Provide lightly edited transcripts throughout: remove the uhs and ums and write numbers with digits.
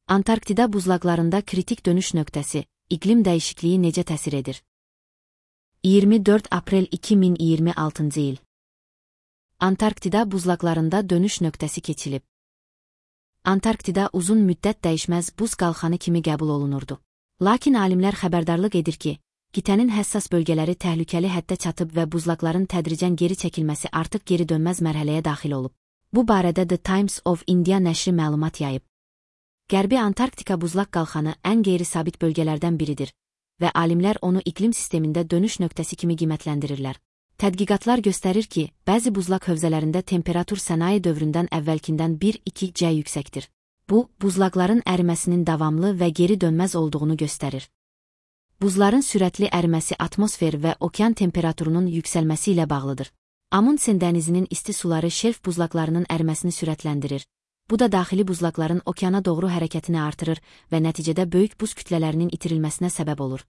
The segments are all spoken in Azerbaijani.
Antarktida buzlaqlarında kritik dönüş nöqtəsi, iqlim dəyişikliyi necə təsir edir? 24 aprel 2026 il. Antarktida buzlaqlarında dönüş nöqtəsi keçilib. Antarktida uzun müddət dəyişməz buz qalxanı kimi qəbul olunurdu. Lakin alimlər xəbərdarlıq edir ki, qitənin həssas bölgələri təhlükəli həddə çatıb və buzlaqların tədricən geri çəkilməsi artıq geri dönməz mərhələyə daxil olub. Bu barədə The Times of India nəşri məlumat yayıb. Qərbi Antarktika buzlaq qalxanı ən qeyri-sabit bölgələrdən biridir və alimlər onu iqlim sistemində dönüş nöqtəsi kimi qiymətləndirirlər. Tədqiqatlar göstərir ki, bəzi buzlaq hövzələrində temperatur sənaye dövründən əvvəlkindən 1-2C yüksəkdir. Bu, buzlaqların əriməsinin davamlı və geri dönməz olduğunu göstərir. Buzların sürətli əriməsi atmosfer və okean temperaturunun yüksəlməsi ilə bağlıdır. Amundsen dənizinin isti suları şelf buzlaqlarının əriməsini sürətləndirir. Bu da daxili buzlaqların okeana doğru hərəkətini artırır və nəticədə böyük buz kütlələrinin itirilməsinə səbəb olur.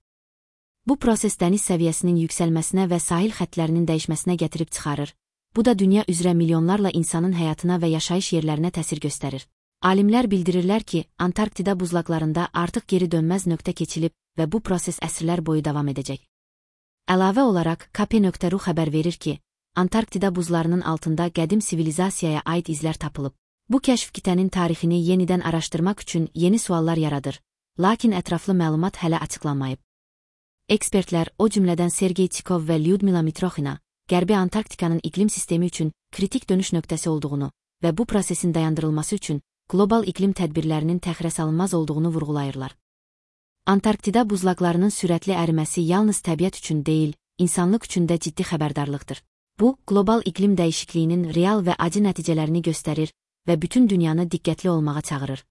Bu proses dəniz səviyyəsinin yüksəlməsinə və sahil xəttlərinin dəyişməsinə gətirib çıxarır. Bu da dünya üzrə milyonlarla insanın həyatına və yaşayış yerlərinə təsir göstərir. Alimlər bildirirlər ki, Antarktida buzlaqlarında artıq geri dönməz nöqtə keçilib və bu proses əsrlər boyu davam edəcək. Əlavə olaraq, KP.ru xəbər verir ki, Antarktida buzlarının altında qədim sivilizasiyaya aid izlər tapılıb. Bu kəşf qitənin tarixini yenidən araşdırmaq üçün yeni suallar yaradır, lakin ətraflı məlumat hələ açıqlanmayıb. Ekspertlər, o cümlədən Sergey Chikov və Lyudmila Mitroxina, Qərbi Antarktikanın iqlim sistemi üçün kritik dönüş nöqtəsi olduğunu və bu prosesin dayandırılması üçün qlobal iqlim tədbirlərinin təxirəsalınmaz olduğunu vurğulayırlar. Antarktida buzlaqlarının sürətli əriməsi yalnız təbiət üçün deyil, insanlıq üçün də ciddi xəbərdarlıqdır. Bu, qlobal iqlim dəyişikliyinin real və acı nəticələrini göstərir və bütün dünyanı diqqətli olmağa çağırır.